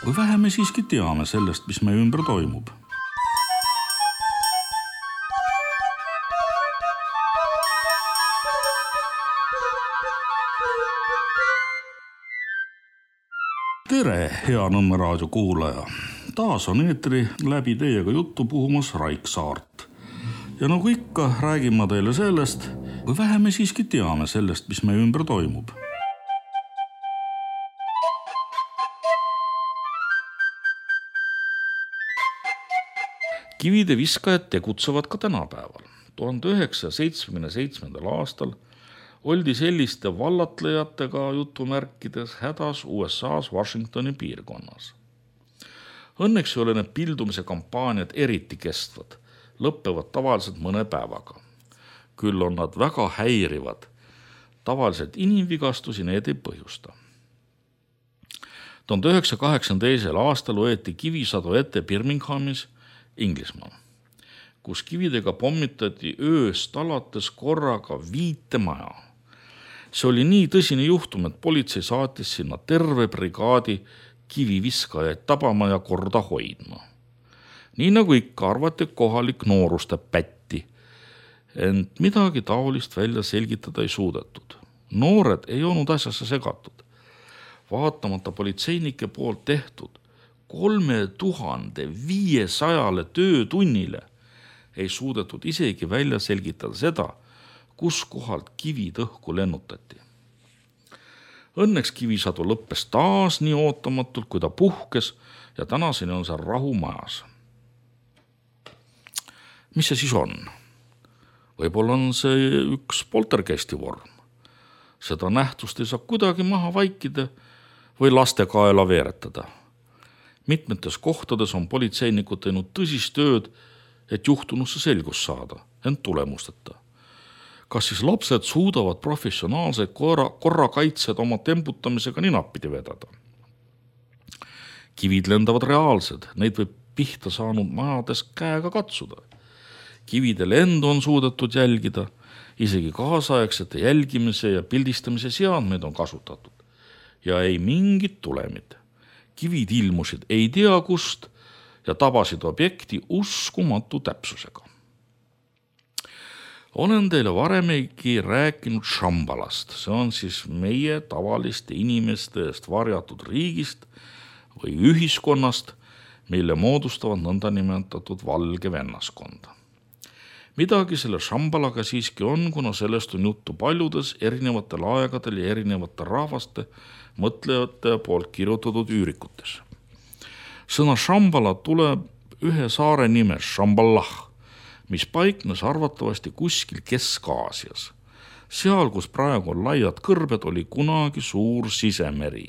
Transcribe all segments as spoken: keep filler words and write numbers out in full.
Või vähe me siiski teame sellest, mis meie ümber toimub. Tere, hea Nõmme raadio kuulaja! Taas on eetri läbi teiega juttu puhumas Raik Saart. Ja nagu ikka, räägin ma teile sellest, või vähe me siiski teame sellest, mis meie ümber toimub. Kivide viskajad tegutsevad ka tänapäeval. tuhande üheksasaja seitsmekümne seitsmendal aastal oldi selliste vallatlejatega jutumärkides hädas U S A's Washingtoni piirkonnas. Õnneks ei ole need pildumise kampaaniad eriti kestvad, lõppevad tavaliselt mõne päevaga. Küll on nad väga häirivad. Tavaliselt inimvigastusi need ei põhjusta. tuhande üheksasaja kaheksakümne teisel aastal võeti kivisadu ette Birminghamis, Inglismaal, kus kividega pommitati ööst alates korraga viite maja. See oli nii tõsine juhtum, et politsei saatis sinna terve brigaadi kiviviskajaid tabama ja korda hoidma. Nii nagu ikka arvati kohalik nooruste pätti, ent midagi taolist välja selgitada ei suudetud. Noored ei olnud asjasse segatud. Vaatamata politseinike poolt tehtud kolme tuhande viiesajale töötunnile ei suudetud isegi välja selgitada seda, kus kohalt kivid õhku lennutati. Õnneks kivisadu lõppes taas nii ootamatult, kui ta puhkes ja tänaseni on seal rahu majas. Mis see siis on? Võib-olla on see üks poltergeisti vorm. Seda nähtust ei saa kuidagi maha vaikida või laste kaela veeretada. Mitmetes kohtades on politseinikud teinud tõsist tööd, et juhtunusse selgus saada, ent tulemusteta. Kas siis lapsed suudavad professionaalseid korra, korrakaitsed oma temputamisega ninappidi vedada? Kivid lendavad reaalsed, neid võib pihta saanud majades käega katsuda. Kivide lendu on suudetud jälgida, isegi kaasaegsete jälgimise ja pildistamise seadmeid on kasutatud. Ja ei mingit tulemid. Kivid ilmusid ei tea kust ja tabasid objekti uskumatu täpsusega. Olen teile varemegi rääkinud Shambalast. See on siis meie tavaliste inimeste eest varjatud riigist või ühiskonnast, mille moodustavad nõnda nimetatud valge vennaskonda. Midagi selle Shambalaga siiski on, kuna sellest on juttu paljudes erinevatel aegadel ja erinevate rahvaste mõtlejate poolt kirjutatud üürikutes. Sõna Shambala tuleb ühe saare nimes Shamballah, mis paiknes arvatavasti kuskil Kesk-Aasias. Seal, kus praegu on laiad kõrbed, oli kunagi suur sisemeri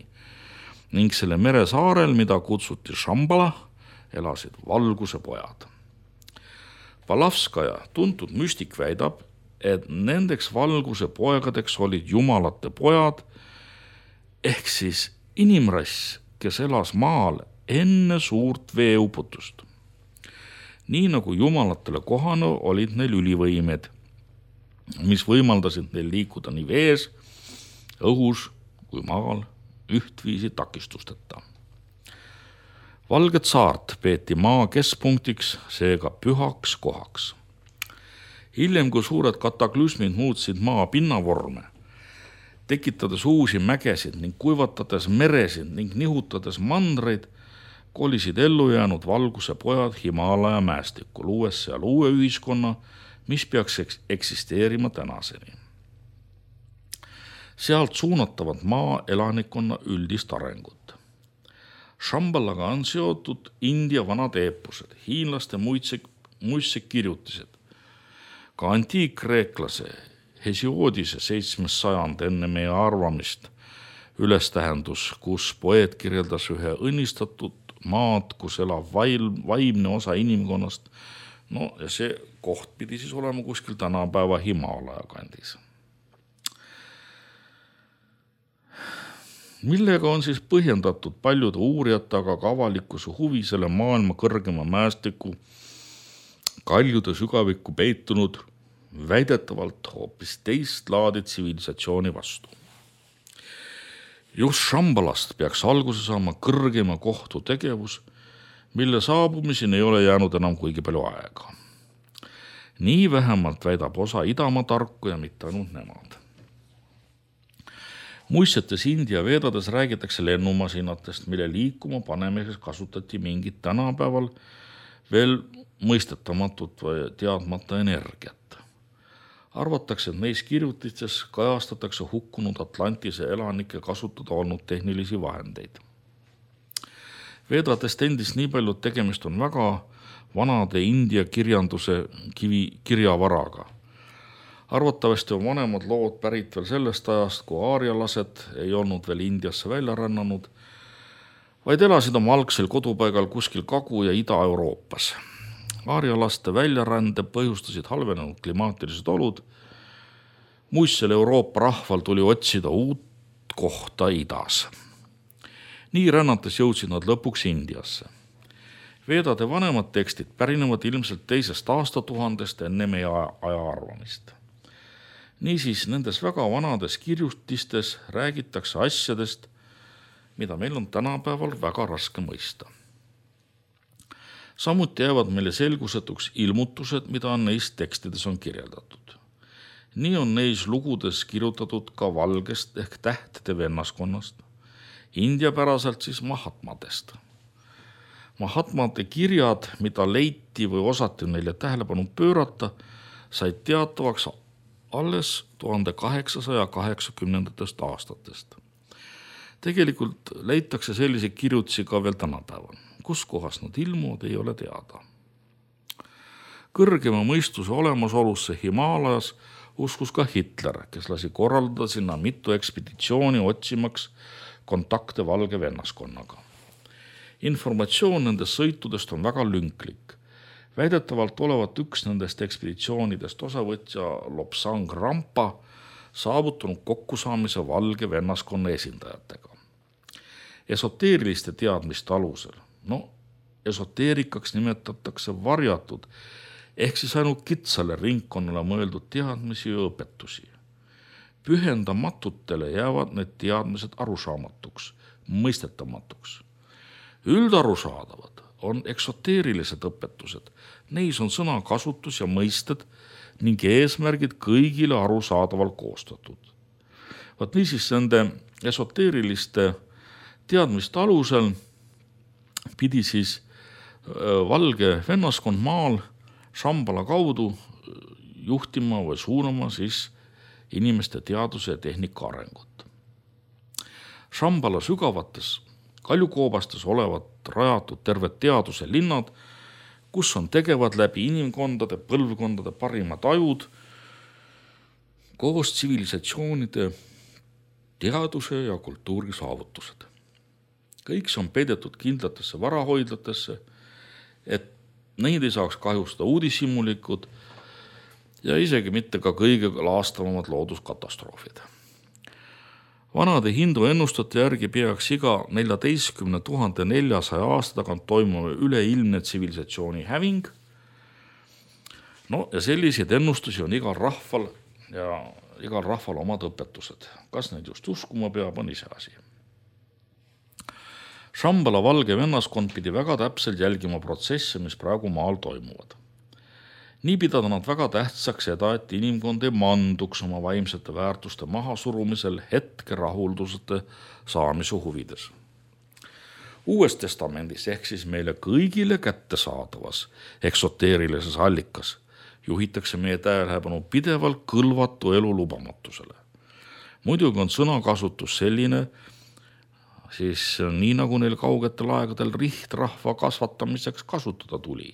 ning selle mere saarel, mida kutsuti Shambala, elasid valguse pojad. Palavskaja, tuntud müstik, väidab, et nendeks valguse poegadeks olid jumalate pojad, ehk siis inimrass, kes elas maal enne suurt veeuputust. Nii nagu jumalatele kohane olid neil ülivõimed, mis võimaldasid neil liikuda nii vees, õhus kui maal ühtviisi takistusteta. Valget saart peeti maa keskpunktiks, seega pühaks kohaks. Hiljem, kui suured kataklüsmid muutsid maa pinnavorme, tekitades uusi mägesid ning kuivatades meresid ning nihutades mandreid, kolisid ellu jäänud valguse pojad Himalaja mäestikku, luues seal uue ühiskonna, mis peaks eksisteerima tänaseni. Sealt suunatavad maa elanikkonna üldist arengut. Shambalaga on seotud India vanad eepused, hiinlaste muistsed kirjutised. Ka antiikkreeklase Hesiodise seitsmes sajand enne meie arvamist ülestähendus, kus poeet kirjeldas ühe õnnistatud maad, kus elab vaimne osa inimkonnast. No ja see koht pidi siis olema kuskil tänapäeva Himalaja kandis. Millega on siis põhjendatud paljude uurijate, aga ka avalikkuse huvi selle maailma kõrgema mäestiku kaljude sügavikku peitunud väidetavalt hoopis teist laadi tsivilisatsiooni vastu. Just Šambalast peaks alguse saama kõrgema kohtu tegevus, mille saabumiseni ei ole jäänud enam kuigi palju aega. Nii vähemalt väidab osa Idamaa tarku ja mitte ainult nemad. Muistsetes India veedades räägitakse lennumasinatest, mille liikuma panemiseks kasutati mingit tänapäeval veel mõistetamatut või teadmata energiat. Arvatakse, et neis kirjutistes kajastatakse hukkunud Atlantise elanike kasutada olnud tehnilisi vahendeid. Veedadest endist nii palju tegemist on väga vanade India kirjanduse kivi kirjavaraga. Arvatavasti on vanemad lood pärit veel sellest ajast, kui aarialased ei olnud veel Indiasse välja rännanud, vaid elasid oma algsel kodupaigal kuskil Kagu- ja Ida-Euroopas. Aarialaste väljarände põhjustasid halvenenud klimaatilised olud. Muistsel Euroopa rahval tuli otsida uut kohta idas. Nii rännates jõudsid nad lõpuks Indiasse. Veedade vanemad tekstid pärinevad ilmselt teisest aastatuhandest enne meie aja arvamist. Niisiis, nendes väga vanades kirjutistes räägitakse asjadest, mida meil on tänapäeval väga raske mõista. Samuti jäävad meile selgusetuks ilmutused, mida neis tekstides on kirjeldatud. Nii on neis lugudes kirjutatud ka valgest ehk tähtede vennaskonnast, indiapäraselt siis Mahatmadest. Mahatmade kirjad, mida leiti või osati neile tähelepanu pöörata, said teatavaks alles tuhande kaheksasaja kaheksakümnendatest aastatest. Tegelikult leitakse selliseid kirjutisi ka veel tänapäeval. Kus kohas nad ilmuvad, ei ole teada. Kõrgema mõistuse olemasolusse Himaalajas uskus ka Hitler, kes lasi korraldada sinna mitu ekspeditsiooni otsimaks kontakte valge vennaskonnaga. Informatsioon nendest sõitudest on väga lünklik. Väidetavalt olevat üks nendest ekspeditsioonidest osavõtja Lobsang Rampa saavutunud kokkusaamise valge vennaskonna esindajatega. Esoteeriliste teadmiste alusel, no esoteerikaks nimetatakse varjatud, ehk siis ainult kitsale ringkonnale mõeldud teadmisi ja õpetusi. Pühendamatutele jäävad need teadmised arusaamatuks, mõistetamatuks. Üldarusaadavad on eksoteerilised õpetused. Neis on sõnakasutus ja mõisted ning eesmärgid kõigile arusaadaval koostatud. Vaat niisiis nende esoteeriliste teadmiste alusel pidi siis valge vennaskond maal Šambala kaudu juhtima või suunama siis inimeste teaduse ja tehnika arengut. Šambala sügavates kaljukoobastes olevat rajatud terved teaduse linnad, kus on tegevad läbi inimkondade, põlvkondade parimad ajud koos tsivilisatsioonide teaduse ja kultuuri saavutused. Kõik see on peidetud kindlatesse varahoidlatesse, et neid ei saaks kahjustada uudishimulikud ja isegi mitte ka kõige laastavamad looduskatastroofid. Vanade hindu ennustate järgi peaks iga neljateistkümne tuhande neljasaja aasta tagant toimuma üleilmne tsivilisatsiooni häving. No ja selliseid ennustusi on igal rahval ja igal rahval omad õpetused. Kas neid just uskuma peab, on ise asi. Šambala valge vennaskond pidi väga täpselt jälgima protsesse, mis praegu maal toimuvad. Nii pidada nad väga tähtsaks seda, et inimkond ei manduks oma vaimsete väärtuste mahasurumisel hetke rahuldusete saamise huvides. Uues testamendis ehk siis meile kõigile kättesaadavas eksoteerilises allikas juhitakse meie tähelepanu pidevalt kõlvatu elu lubamatusele. Muidugi on sõnakasutus selline, siis nii nagu neil kaugetel aegadel rihtrahva kasvatamiseks kasutada tuli.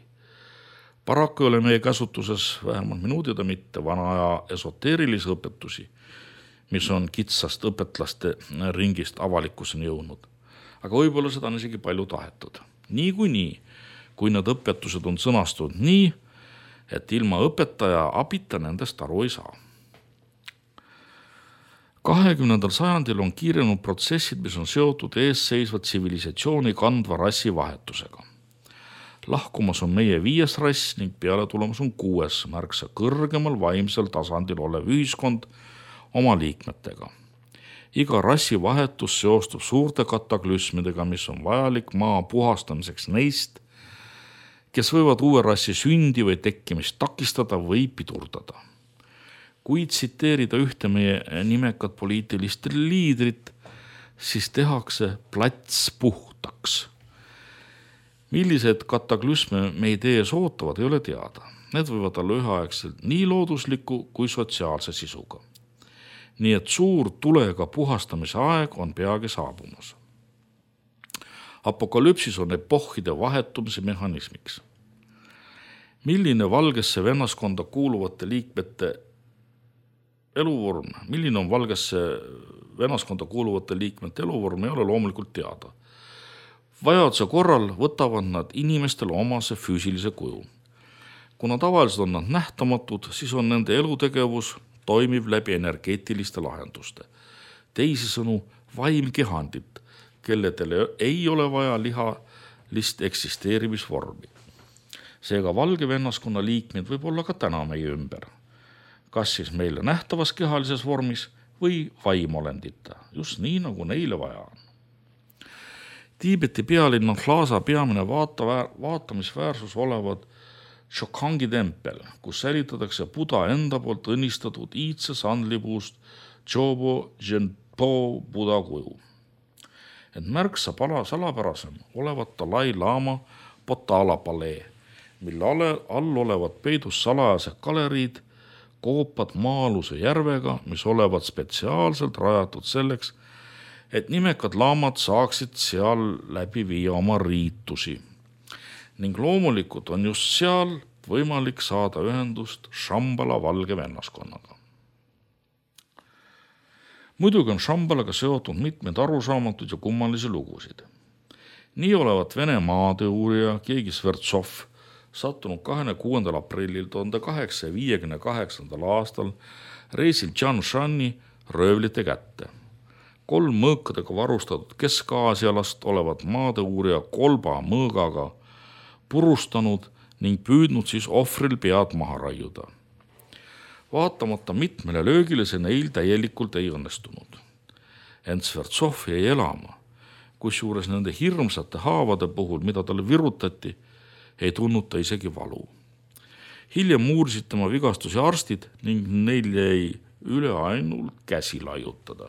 Paraku ei ole meie käsutuses vähemalt minuutida mitte vana aja esoteerilisi õpetusi, mis on kitsast õpetlaste ringist avalikkuseni jõudnud. Aga võib-olla seda on isegi palju tahetud. Nii kui nii, kui need õpetused on sõnastunud nii, et ilma õpetaja abita nendest aru ei saa. kahekümnendal sajandil on kiirenud protsessid, mis on seotud eesseisva tsivilisatsiooni kandva rassi vahetusega. Lahkumas on meie viies rass ning peale tulemas on kuues märksa kõrgemal vaimsel tasandil olev ühiskond oma liikmetega. Iga rassivahetus seostub suurte kataklüsmidega, mis on vajalik maa puhastamiseks neist, kes võivad uue rassi sündi või tekkimist takistada või pidurdada. Kui tsiteerida ühte meie nimekat poliitilist liidrit, siis tehakse plats puhtaks. Millised kataklüsme meid ees ootavad, ei ole teada. Need võivad olla üheaegselt nii loodusliku kui sotsiaalse sisuga. Nii et suur tulega puhastamise aeg on peagi saabumas. Apokalüpsis on epohhide vahetumise mehhanismiks. Milline valgesse vennaskonda kuuluvate liikmete eluvorm, milline on valgesse vennaskonda kuuluvate liikmete eluvorm, ei ole loomulikult teada. Vajaduse korral võtavad nad inimestele omase füüsilise kuju. Kuna tavaliselt on nad nähtamatud, siis on nende elutegevus toimiv läbi energeetiliste lahenduste. Teisisõnu vaimkehandit, kelledele ei ole vaja lihalist eksisteerimisvormi. Seega valge vennaskonna liikmed võib olla ka täna meie ümber. Kas siis meile nähtavas kehalises vormis või vaimolendita, just nii, nagu neile vaja on. Tiibeti pealinna Lhasa peamine vaata, vaatamisväärsus olevad Chokhangi tempel, kus säilitatakse Buda enda poolt õnnistatud iidse sandlipuust Chobo Genpo Buda kuju. Et märksa pala salapärasem olevat Dalai Lama Potala palee, mille all olevad peidus salajased galeriid, koopad maa-aluse järvega, mis olevat spetsiaalselt rajatud selleks, et nimekad laamad saaksid seal läbi viia oma riitusi. Ning loomulikult on just seal võimalik saada ühendust Shambhala valge vennaskonnaga. Muidugi on Shambhalaga seotud mitmed arusaamatud ja kummalisi lugusid. Nii olevat Vene maadeurija keegi Svertsov sattunud kahekümne kuuendal aprillil tuhande kaheksasaja viiekümne kaheksandal aastal reisil Tianshani röövlite kätte. Kolm mõõkadega varustatud Kesk-Aasialast olevat maadeurija kolba mõõgaga purustanud ning püüdnud siis ohvril pead maha raiuda. Vaatamata mitmele löögile see neil täielikult ei õnnestunud. Ent Svertsov jäi elama, kusjuures nende hirmsate haavade puhul, mida talle virutati, ei tundnud ta isegi valu. Hiljem uurisid tema vigastusi arstid ning neil jäi üle ainult käsi laiutada.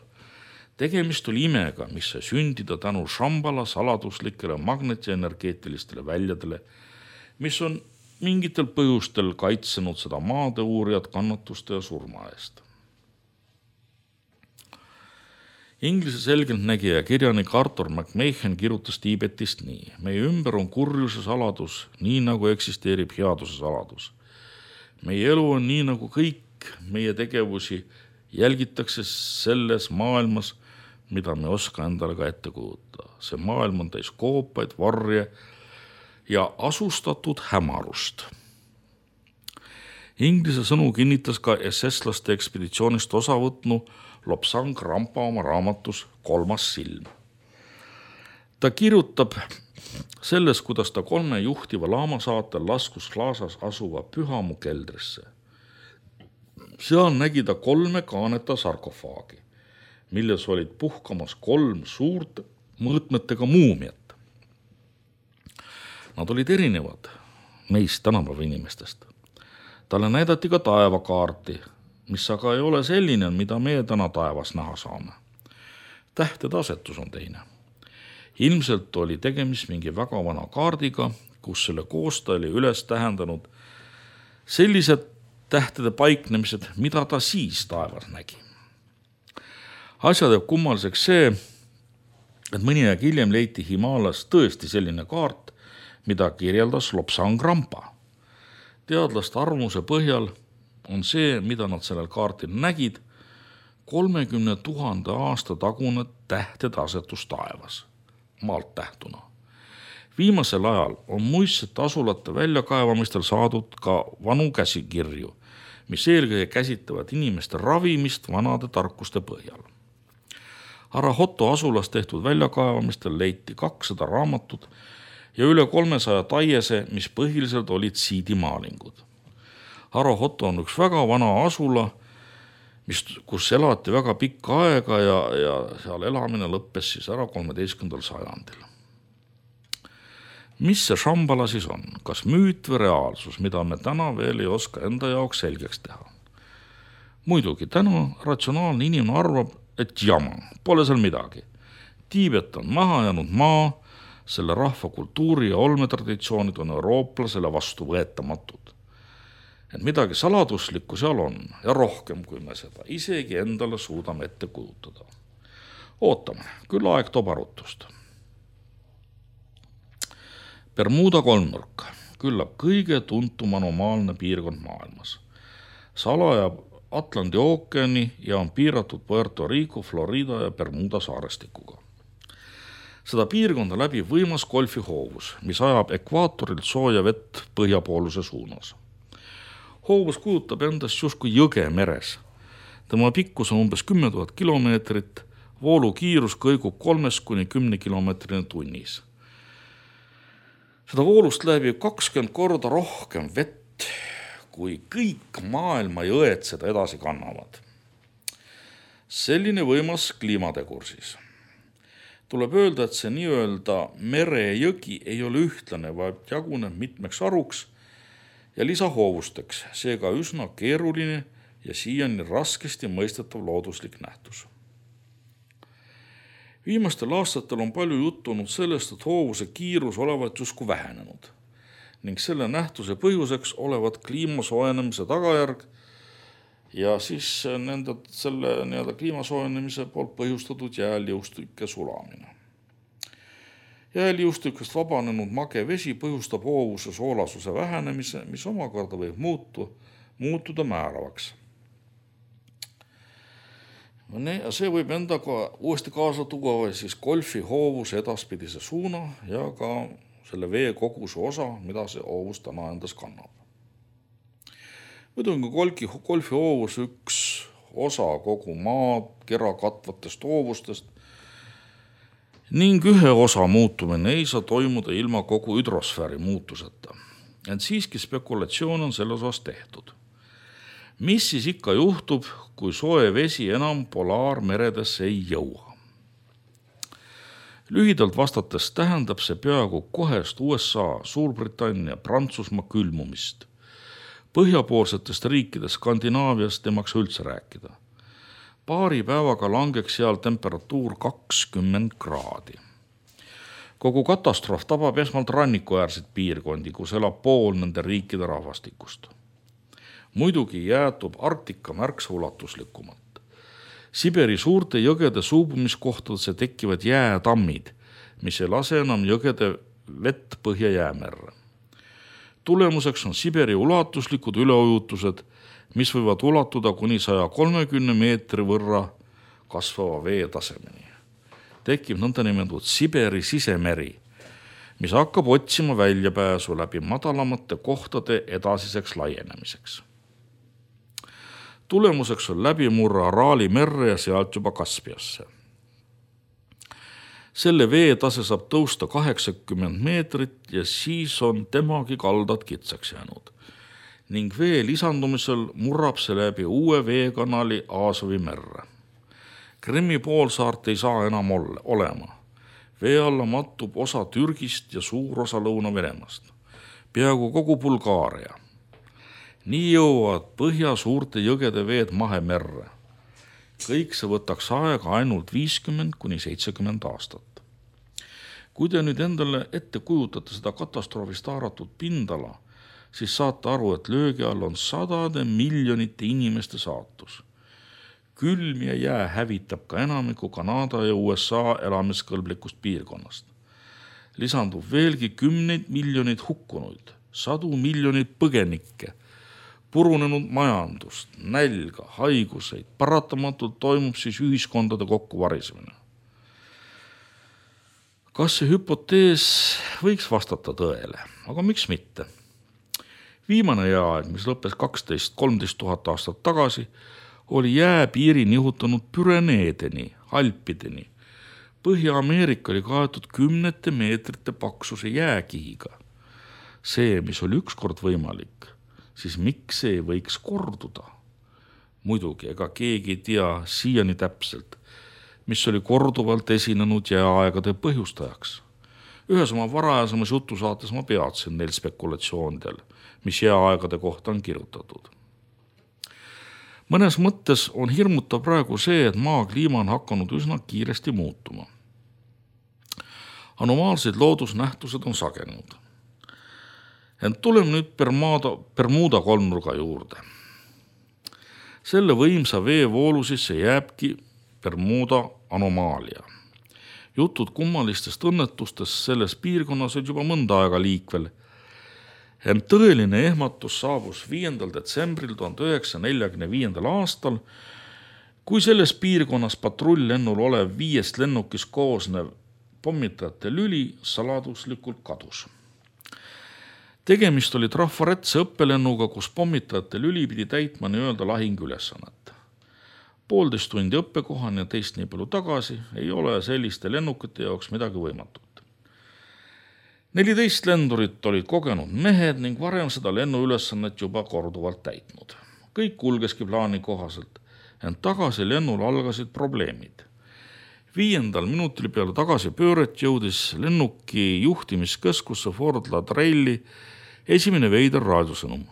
Tegemist oli imega, mis sai sündida tänu Shambhala saladuslikele magnetienergeetilistele väljadele, mis on mingitel põhjustel kaitsenud seda maadeuurijat kannatuste ja surma eest. Inglise selgeltnägija kirjanik Arthur McMahon kirjutas Tiibetist nii. Meie ümber on kurjuse saladus, nii nagu eksisteerib headuse saladus. Meie elu on nii nagu kõik meie tegevusi jälgitakse selles maailmas, mida me oska endale ka ette kujuta. See maailm on täis koopaid, varje ja asustatud hämarust. Inglise sõnu kinnitas ka S S-laste ekspeditsioonist osa võtnu Lobsang Rampa oma raamatus Kolmas silm. Ta kirjutab selles, kuidas ta kolme juhtiva laama saatel laskus Lhasas asuva Pühamu keldrisse. Seal nägi ta kolme kaaneta sarkofaagi, milles olid puhkamas kolm suurt mõõtmetega muumiat. Nad olid erinevad meist tänapäeva inimestest. Talle näidati ka taevakaarti, mis aga ei ole selline, mida me täna taevas näha saame. Tähtede asetus on teine. Ilmselt oli tegemist mingi väga vana kaardiga, kus selle koostaja oli üles tähendanud sellised tähtede paiknemised, mida ta siis taevas nägi. Asja teeb kummaliseks see, et mõni aeg hiljem leiti Himalas tõesti selline kaart, mida kirjeldas Lobsang Rampa. Teadlaste arvamuse põhjal on see, mida nad sellel kaartil nägid, kolmekümne tuhande aasta tagune tähtede asetus taevas, maalt tähtuna. Viimasel ajal on muistsete asulate väljakaevamistel saadud ka vanu käsikirju, mis eelkõige käsitlevad inimeste ravimist vanade tarkuste põhjal. Arahoto asulas tehtud väljakaevamistel leiti kakssada raamatut ja üle kolmesaja taiese, mis põhiliselt olid siidimaalingud. Arahoto on üks väga vana asula, mis, kus elati väga pikka aega ja, ja seal elamine lõppes siis ära kolmeteistkümnendal sajandil. Mis see Shambhala siis on? Kas müüt või reaalsus, mida me täna veel ei oska enda jaoks selgeks teha? Muidugi, täna ratsionaalne inimene arvab, et jama, pole seal midagi. Tiibet on maha jäänud maa, selle rahva kultuuri ja olmetraditsioonid on eurooplasele vastu võetamatud. Et midagi saladuslikku seal on ja rohkem, kui me seda isegi endale suudame ette kujutada. Ootame, küll aeg toob arutust. Bermuda kolmnurk, küllap kõige tuntum anomaalne piirkond maailmas. Salajab Atlandi ookeani ja on piiratud Puerto Rico, Florida ja Bermuda saarestikuga. Seda piirkonda läbi võimas golfihoovus, mis ajab ekvaatorilt sooja vett põhjapooluse suunas. Hoovus kujutab endast justkui jõge meres. Tema pikkus on umbes kümme tuhat kilomeetrit, voolu kiirus kõigub kolmest kuni kümne kilomeetrini tunnis. Seda voolust läbi kakskümmend korda rohkem vett, kui kõik maailma jõed seda edasi kannavad. Selline võimas kliimategur siis. Tuleb öelda, et see nii-öelda merejõgi ei ole ühtlane, vaid jaguneb mitmeks aruks ja lisahoovusteks, seega üsna keeruline ja siiani raskesti mõistetav looduslik nähtus. Viimastel aastatel on palju juttu olnud sellest, et hoovuse kiirus olevat justkui vähenenud ning selle nähtuse põhjuseks olevat kliima soojenemise tagajärg ja siis nende, selle nii-öelda kliima soojenemise poolt põhjustatud jääliustike sulamine. Jääliustikest vabanenud mage vesi põhjustab hoovuse soolasuse vähenemise, mis omakorda võib muutu, muutuda määravaks. See võib endaga uuesti kaasa tuua siis golfi hoovuse edaspidise suuna ja ka selle vee koguse osa, mida see hoovus täna endas kannab. Muidu on golfi hoovus üks osa kogu maad kera katvatest hoovustest ning ühe osa muutumine ei saa toimuda ilma kogu hüdrosfääri muutuseta. Ent siiski spekulatsioon on selles osas tehtud. Mis siis ikka juhtub, kui soe vesi enam polaarmeredesse ei jõua? Lühidalt vastates tähendab see peaaegu kohest U S A, Suurbritannia, Prantsusmaa külmumist. Põhjapoolsetest riikidest Skandinaavias temaks üldse rääkida. Paari päevaga langeks seal temperatuur kakskümmend kraadi. Kogu katastroof tabab esmalt rannikuäärseid piirkondi, kus elab pool nende riikide rahvastikust. Muidugi jäätub Arktika märksa ulatuslikumalt. Siberi suurte jõgede suubumiskohtadesse tekkivad jäätammid, mis ei lase enam jõgede vett põhja jäämerre. Tulemuseks on Siberi ulatuslikud üleujutused, mis võivad ulatuda kuni saja kolmekümne meetri võrra kasvava vee tasemeni. Tekib nõndanimetatud Siberi sisemeri, mis hakkab otsima väljapääsu läbi madalamate kohtade edasiseks laienemiseks. Tulemuseks on läbimurra Araali merre ja sealt juba Kaspiasse. Selle vee tase saab tõusta kaheksakümmend meetrit ja siis on temagi kaldad kitsaks jäänud. Ning vee lisandumisel murrab see läbi uue veekanali Aasovi merre. Krimmi poolsaart ei saa enam ole, olema. Vee alla mattub osa Türgist ja suur osa Lõuna-Venemaast. Peaaegu kogu Bulgaaria. Nii jõuavad põhja suurte jõgede veed Mahemerre. Kõik see võtaks aega ainult viiskümmend kuni seitsekümmend aastat. Kui te nüüd endale ette kujutate seda katastroofist haaratud pindala, siis saate aru, et löögi all on sadade miljonite inimeste saatus. Külm ja jää hävitab ka enamiku Kanada ja U S A elamiskõlblikust piirkonnast. Lisandub veelgi kümneid miljoneid hukkunuid, sadu miljoneid põgenikke, purunenud majandust, nälga, haiguseid, paratamatult toimub siis ühiskondade kokkuvarisemine. Kas see hüpotees võiks vastata tõele, aga miks mitte? Viimane jääaeg, mis lõppes kaksteist kolmteist tuhat aastat tagasi, oli jääpiiri nihutanud Püreneedeni, Alpideni. Põhja-Ameerika oli kaetud kümnete meetrite paksuse jääkihiga. See, mis oli ükskord võimalik, siis miks see võiks korduda? Muidugi, ega keegi ei tea siiani täpselt, mis oli korduvalt esinenud jääaegade põhjustajaks. Ühes oma varajasemas jutusaates ma peatsin neil spekulatsioonidel, mis jääaegade kohta on kirjutatud. Mõnes mõttes on hirmutav praegu see, et maa kliima on hakanud üsna kiiresti muutuma. Anomaalsed loodusnähtused on sagenud. Ent tuleme nüüd Bermuda, Bermuda kolmnurga juurde. Selle võimsa veevoolu sisse jääbki Bermuda anomaalia. Jutud kummalistest õnnetustest selles piirkonnas on juba mõnda aega liikvel. Ent tõeline ehmatus saabus viiendal detsembril tuhande üheksasaja neljakümne viiendal aastal, kui selles piirkonnas patrull-lennul olev viiest lennukis koosnev pommitajate lüli saladuslikult kadus. Tegemist oli trafaretse õppelennuga, kus pommitajate lüli pidi täitma nii-öelda lahingülesannet. Poolteist tundi õppekohani ja teist nii palju tagasi ei ole selliste lennukite jaoks midagi võimatut. neliteist lendurit olid kogenud mehed ning varem seda lennuülesannet juba korduvalt täitnud. Kõik kulgeski plaani kohaselt, ent tagasi lennul algasid probleemid. Viiendal minutil peale tagasi pööret jõudis lennuki juhtimiskeskusse Fort Lauderdale'i esimene veider raadiosõnum.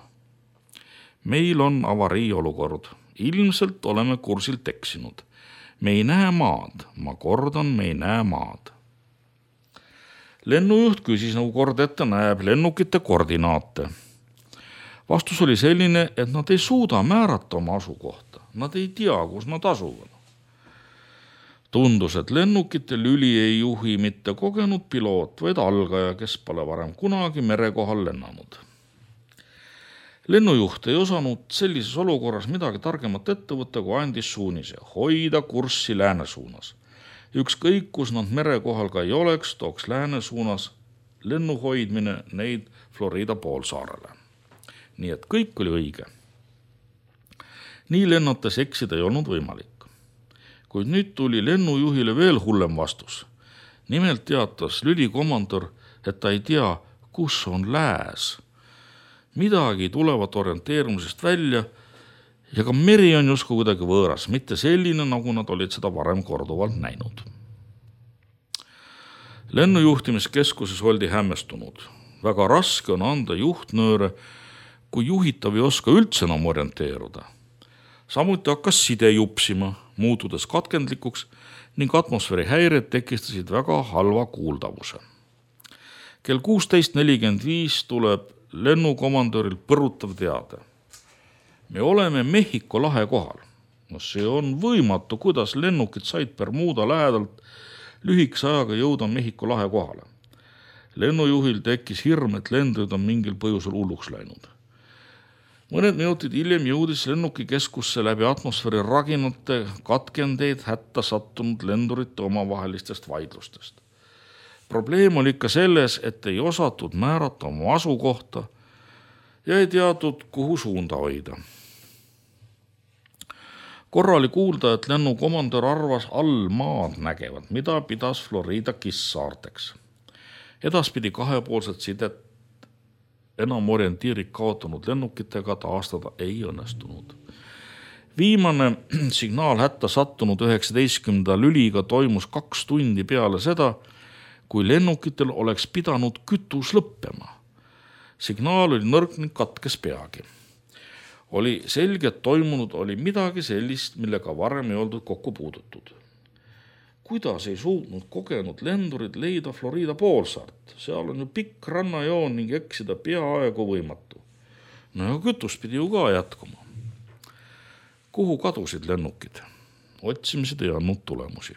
Meil on avarii olukord. Ilmselt oleme kursilt eksinud. Me ei näe maad. Ma kordan, me ei näe maad. Lennujuht küsis, nagu kord ette näeb, lennukite koordinaate. Vastus oli selline, et nad ei suuda määrata oma asukohta. Nad ei tea, kus nad asuvad. Tundus, et lennukite lüli ei juhi mitte kogenud piloot, vaid algaja, kes pole varem kunagi mere kohal lennanud. Lennujuht ei osanud sellises olukorras midagi targemat ette võtta, kui andis suunise, hoida kurssi lääne suunas. Ükskõik, kus nad mere kohal ka ei oleks, tooks lääne suunas lennu hoidmine neid Florida poolsaarele. Nii et kõik oli õige. Nii lennates eksida ei olnud võimalik. Kuid nüüd tuli lennujuhile veel hullem vastus. Nimelt teatas lülikomandor, et ta ei tea, kus on lääs. Midagi tulevad orienteerumisest välja ja ka meri on justkui kuidagi võõras, mitte selline, nagu nad olid seda varem korduvalt näinud. Lennujuhtimiskeskuses oldi hämmestunud. Väga raske on anda juhtnööre, kui juhitav ei oska üldse enam orienteeruda. Samuti hakkas side jupsima, muutudes katkendlikuks ning atmosfääri häired tekistasid väga halva kuuldavuse. Kell kuusteist nelikümmend viis tuleb lennukomandoril põrutav teade. Me oleme Mehhiko lahe kohal. No see on võimatu, kuidas lennukid said Bermuda lähedalt lühikese ajaga jõuda Mehhiko lahe kohale. Lennujuhil tekkis hirm, et lendurid on mingil põhjusel hulluks läinud. Mõned minutid hiljem jõudis lennuki keskusse läbi atmosfääri raginate katkendeid hätta sattunud lendurite omavahelistest vaidlustest. Probleem oli ikka selles, et ei osatud määrata oma asukohta ja ei teatud, kuhu suunda hoida. Korra oli kuulda, et lennukomandor arvas all maad nägevat, mida pidas Florida Kiss-saarteks. Edaspidi kahepoolset sidet enam orientiirik kaotanud lennukitega taastada ei õnnestunud. Viimane signaal hätta sattunud üheksateistkümnenda lüliga toimus kaks tundi peale seda, kui lennukitel oleks pidanud kütus lõppema. Signaal oli nõrk ning katkes peagi. Oli selge, et toimunud oli midagi sellist, millega varem ei oldud kokku puudutud. Kuidas ei suutnud kogenud lendurid leida Florida poolsaart? Seal on ju pikk rannajoon ning eksida peaaegu võimatu. No ja kütus pidi ju ka jätkuma. Kuhu kadusid lennukid? Otsimised ei andnud tulemusi.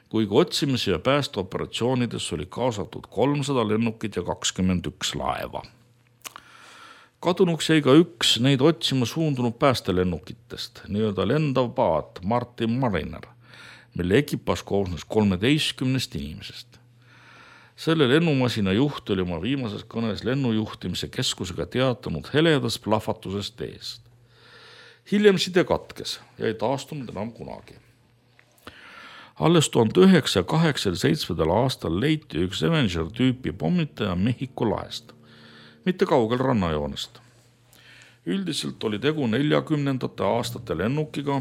Kuigi otsimise ja päästeoperatsioonides oli kaasatud kolmsada lennukit ja kakskümmend üks laeva. Kadunuks jäi ka üks neid otsima suundunud päästelennukitest, nii-öelda lendav paat Martin Mariner, mille ekipaas koosnes kolmeteistkümnest inimesest. Selle lennumasina juht oli oma viimases kõnes lennujuhtimise keskusega teatanud heledast plahvatusest eest. Hiljem side katkes ja ei taastunud enam kunagi. Alles tuhande üheksasaja kaheksakümne seitsmendal aastal leiti üks Avenger tüüpi pommitaja Mehhiko lahest, mitte kaugel rannajoonest. Üldiselt oli tegu neljakümnendate aastate lennukiga.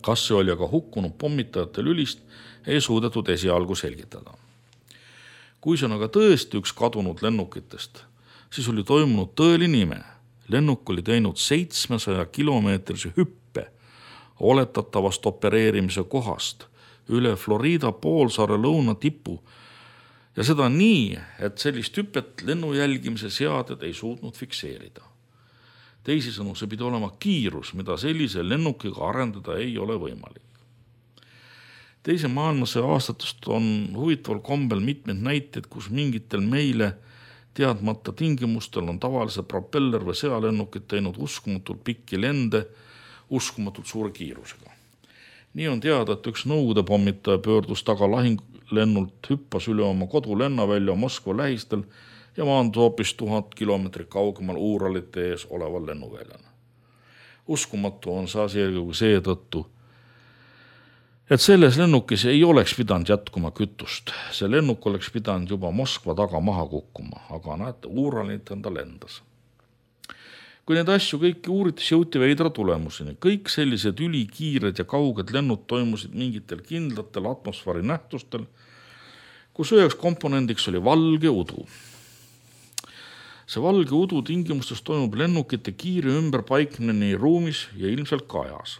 Kas see oli aga hukkunud pommitajate lülist, ei suudetud esialgu selgitada. Kui see on aga tõesti üks kadunud lennukitest, siis oli toimunud tõeline ime. Lennuk oli teinud seitsmesaja kilomeetrise hüppe oletatavast opereerimise kohast üle Florida poolsaare lõuna tipu ja seda nii, et sellist hüpet lennu jälgimise seaded ei suutnud fikseerida. Teisisõnu, see pidi olema kiirus, mida sellise lennukiga arendada ei ole võimalik. Teise maailmasõja aastatest on huvitaval kombel mitmed näited, kus mingitel meile teadmata tingimustel on tavalise propeller või sõjalennukid teinud uskumatult pikki lende uskumatult suure kiirusega. Nii on teada, et üks Nõukogude pommitaja pöördus taga lahinglennult, hüppas üle oma kodu lennavälja Moskva lähistel ja maandus hoopis tuhat kilomeetrit kaugemal Uuralite ees oleval lennuväljana. Uskumatu on see asi eelkõige seetõttu, et selles lennukis ei oleks pidanud jätkuma kütust. See lennuk oleks pidanud juba Moskva taga maha kukkuma, aga näete, Uuralit enda lendas. Kui need asju kõiki uuritis, jõuti veidra tulemuseni. Kõik sellised ülikiired ja kauged lennud toimusid mingitel kindlatel atmosfääri nähtustel, kus üheks komponendiks oli valge udu. See valge udu tingimustes toimub lennukite kiire ümberpaiknemine nii ruumis ja ilmselt ka ajas.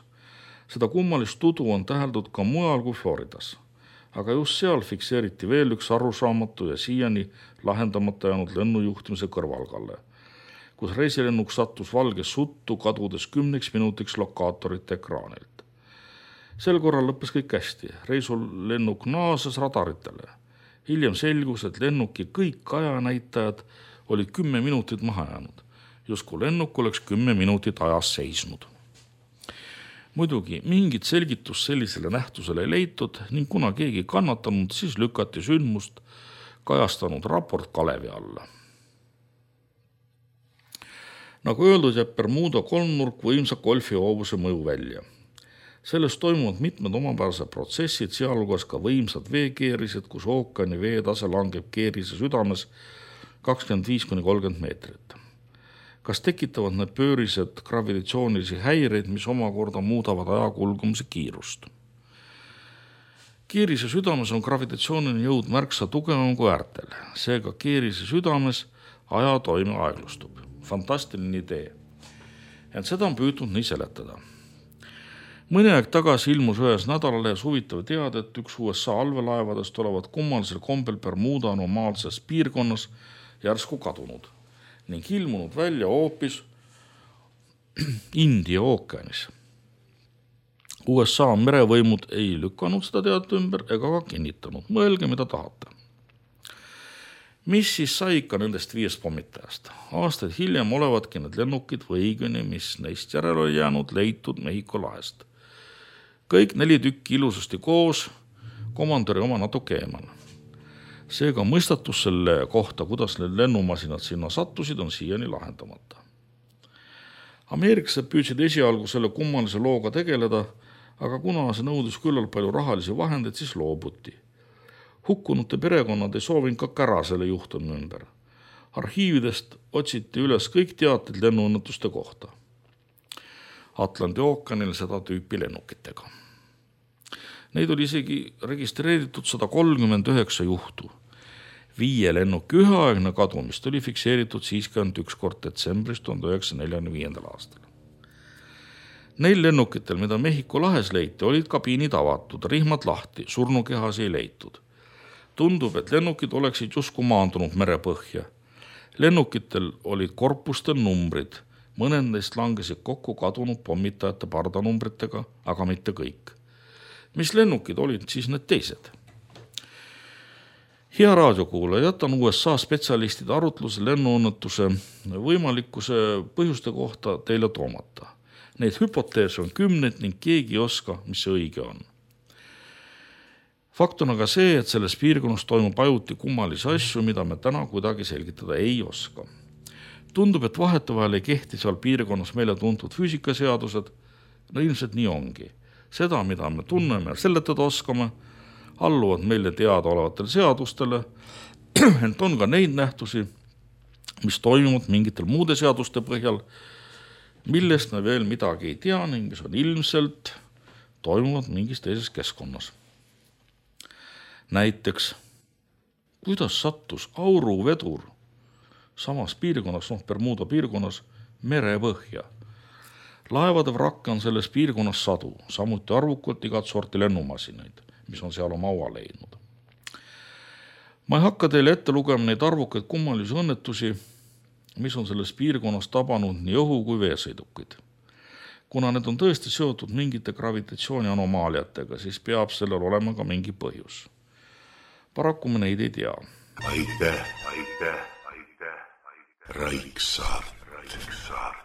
Seda kummalist udu on täheldud ka mujal kui Floridas, aga just seal fikseeriti veel üks arusaamatu ja siiani lahendamata jäänud lennujuhtimise kõrvalgalle, kus reisilennuk sattus valges suttu, kadudes kümneks minutiks lokaatorite ekraanilt. Sel korral lõppes kõik hästi. Reisul lennuk naases radaritele. Hiljem selgus, et lennuki kõik ajanäitajad olid kümme minutit maha jäänud. Justkui lennuk oleks kümme minutit ajas seisnud. Muidugi mingit selgitust sellisele nähtusele ei leitud ning kuna keegi kannatanud, siis lükati sündmust kajastanud raport kalevi alla. Nagu öeldud, jääb Bermuda kolmnurk võimsa golfihoovuse mõju välja. Sellest toimuvad mitmed omapärased protsessid, sealhulgas ka võimsad veekeerised, kus ookeani veetase langeb keerise südames kakskümmend viis kuni kolmkümmend meetrit. Kas tekitavad need pöörised gravitatsioonilisi häireid, mis omakorda muudavad aja kulgumise kiirust? Keerise südames on gravitatsiooniline jõud märksa tugevam kui äärtel. Seega keerise südames aja toime aeglustub. Fantastiline idee. Ent seda on püütud nii seletada. Mõni aeg tagasi ilmus ühes nädalalehes huvitav teada, et üks U S A allveelaevadest olevat kummalisel kombel Bermuda anomaalses piirkonnas järsku kadunud ning ilmunud välja hoopis India ookeanis. U S A merevõimud ei lükanud seda teadet ümber ega ka kinnitanud. Mõelge, mida tahate. Mis siis sai ikka nendest viiest pommitajast? Aastaid hiljem olevatki need lennukid või õigeni, mis neist järel oli jäänud, leitud Mehhiko lahest. Kõik neli tükki ilusasti koos, komandöri oma natuke eemal. Seega mõistatus selle kohta, kuidas need lennumasinad sinna sattusid, on siiani lahendamata. Ameeriklased püüdsid esialgu selle kummalise looga tegeleda, aga kuna see nõudis küllalt palju rahalisi vahendeid, siis loobuti. Hukkunute perekonnad ei soovinud ka kära selle juhtumi ümber. Arhiividest otsiti üles kõik teated lennuõnnetuste kohta. Atlandi ookeanil seda tüüpi lennukitega. Neid oli isegi registreeritud sada kolmkümmend üheksa juhtu. Viie lennuki üheaegne kadumist oli fikseeritud siiski ainult üks kord detsembris tuhande üheksasaja neljakümne viiendal aastal. Neil lennukitel, mida Mehhiko lahes leiti, olid kabiinid avatud, rihmad lahti, surnukehas ei leitud. Tundub, et lennukid oleksid justkui maandunud merepõhja. Lennukitel olid korpustel numbrid, mõned neist langesid kokku kadunud pommitajate pardanumbritega, aga mitte kõik. Mis lennukid olid siis need teised? Hea raadiokuulaja, jätan U S A spetsialistide arutluse lennuõnnetuse võimalikkuse põhjuste kohta teile toomata. Neid hüpoteese on kümneid ning keegi ei oska, mis see õige on. Fakt on aga see, et selles piirkonnas toimub ajuti kummalisi asju, mida me täna kuidagi selgitada ei oska. Tundub, et vahetevahel ei kehti seal piirkonnas meile tuntud füüsikaseadused, no ilmselt nii ongi. Seda, mida me tunneme ja seletada oskame, alluvad meile teada olevatele seadustele, ent on ka neid nähtusi, mis toimuvad mingitel muude seaduste põhjal, millest me veel midagi ei tea ning mis on ilmselt toimuvad mingis teises keskkonnas. Näiteks, kuidas sattus auruvedur samas piirkonnas, noh Bermuda piirkonnas, merepõhja. Laevade vrakke on selles piirkonnas sadu, samuti arvukalt igat sorti lennumasinaid, mis on seal oma aua leidnud. Ma ei hakka teile ette lugema neid arvukaid kummalisi õnnetusi, mis on selles piirkonnas tabanud nii õhu kui veesõidukid. Kuna need on tõesti seotud mingite gravitatsiooni anomaaliatega, siis peab sellel olema ka mingi põhjus. Paraku me neid ei tea. Aitäh, aitäh, aitäh, aitäh. Raiksaart. Raiksaart.